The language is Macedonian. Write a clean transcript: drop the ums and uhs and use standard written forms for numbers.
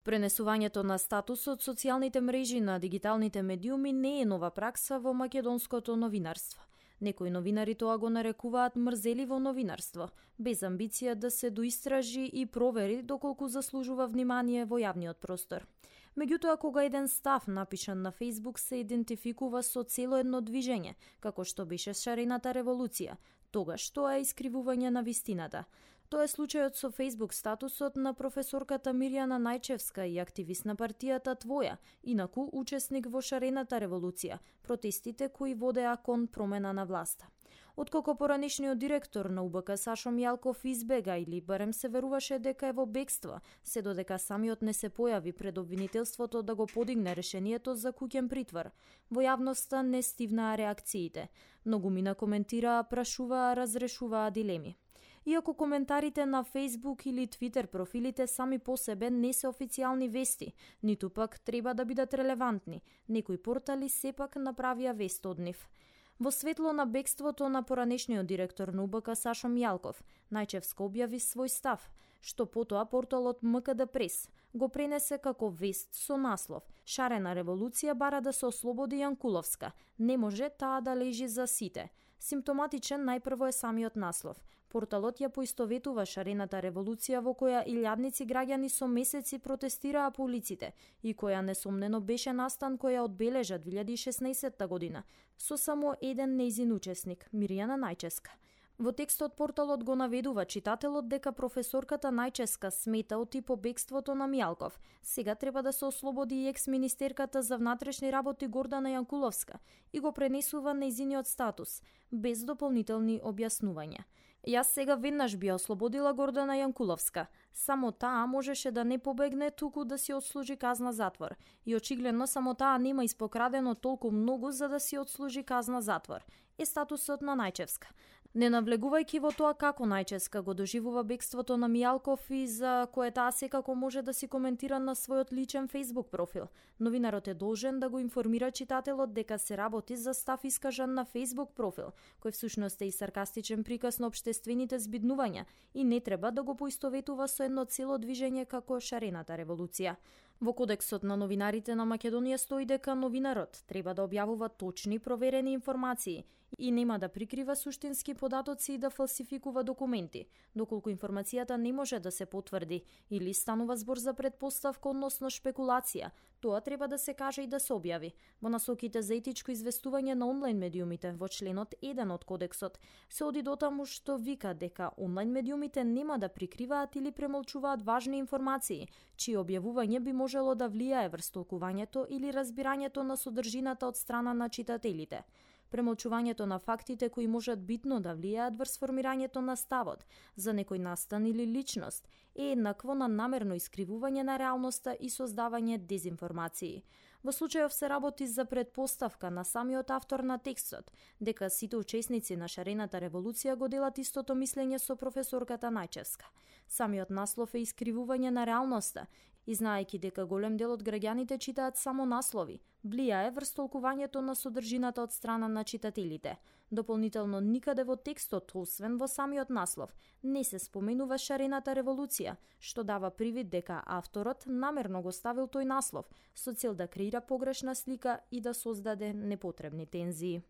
Пренесувањето на статус од социјалните мрежи на дигиталните медиуми не е нова пракса во македонското новинарство. Некои новинари тоа го нарекуваат мрзеливо новинарство, без амбиција да се доистражи и провери доколку заслужува внимание во јавниот простор. Меѓутоа, кога еден став напишан на Facebook се идентификува со цело едно движење, како што беше шарената револуција, тогаш тоа е искривување на вистината. Тоа е случајот со Facebook статусот на професорката Мирјана Најчевска и активист на партијата Твоја, инаку учесник во шарената револуција, протестите кои водеа кон промена на власта. Откако поранешниот директор на УБК Сашо Мијалков избега или барем се веруваше дека е во бегство, се додека самиот не се појави пред обвинителството да го подигне решението за куќен притвор. Во јавноста не стивнаа реакциите. Многумина коментираа, прашуваа, разрешуваа дилеми. Иако коментарите на Facebook или Twitter профилите сами по себе не се официјални вести, ниту пак треба да бидат релевантни, некои портали сепак направија вест од нив. Во светло на бегството на поранешниот директор на УБК Сашо Мијалков, Најчевска објави свој став, што потоа порталот МКД Прес го пренесе како вест со наслов «Шарена револуција бара да се ослободи Јанкуловска, не може таа да лежи за сите». Симптоматичен најпрво е самиот наслов. Порталот ја поистоветува шарената револуција во која илјадници граѓани со месеци протестираа по улиците и која несомнено беше настан која одбележа 2016 година со само еден нејзин учесник, Мирјана Најчевска. Во текстот порталот го наведува читателот дека професорката Најчевска смета оти по бегството на Мијалков. Сега треба да се ослободи и екс-министерката за внатрешни работи Гордана Јанкуловска и го пренесува нејзиниот статус, без дополнителни објаснувања. Јас сега веднаш би ослободила Гордана Јанкуловска. Само таа можеше да не побегне, туку да си отслужи казна затвор. И очигледно само таа нема испокрадено толку многу за да си отслужи казна затвор. Е статусот на Најчевска. Не навлегувајќи во тоа како Најчевска го доживува бегството на Мијалков и за кое таа секако може да си коментира на својот личен Facebook профил, новинарот е должен да го информира читателот дека се работи за став искажан на Facebook профил, кој всушност е и саркастичен приказ на општествените збиднувања и не треба да го поистоветува со едно цело движење како шарената револуција. Во Кодексот на новинарите на Македонија стои дека новинарот треба да објавува точни проверени информации и нема да прикрива суштински податоци и да фалсификува документи, доколку информацијата не може да се потврди или станува збор за предпоставка односно шпекулација, тоа треба да се каже и да се објави. Во насоките за етичко известување на онлайн медиумите во членот 1 од Кодексот се оди дотаму што вика дека онлайн медиумите нема да прикриваат или премолчуваат важни информации, чие објавување би можело да влијае врз толкувањето или разбирањето на содржината од страна на читателите. Премолчувањето на фактите кои можат битно да влијаат врз формирањето на ставот за некој настан или личност е еднакво на намерно искривување на реалноста и создавање дезинформации. Во случајов се работи за предпоставка на самиот автор на текстот, дека сите учесници на шарената револуција го делат истото мислење со професорката Најчевска. Самиот наслов е искривување на реалноста и знаејќи дека голем дел од граѓаните читаат само наслови, влијае врз толкувањето на содржината од страна на читателите. Дополнително никаде во текстот, освен во самиот наслов, не се споменува шарената револуција, што дава привид дека авторот намерно го ставил тој наслов со цел да креира погрешна слика и да создаде непотребни тензии.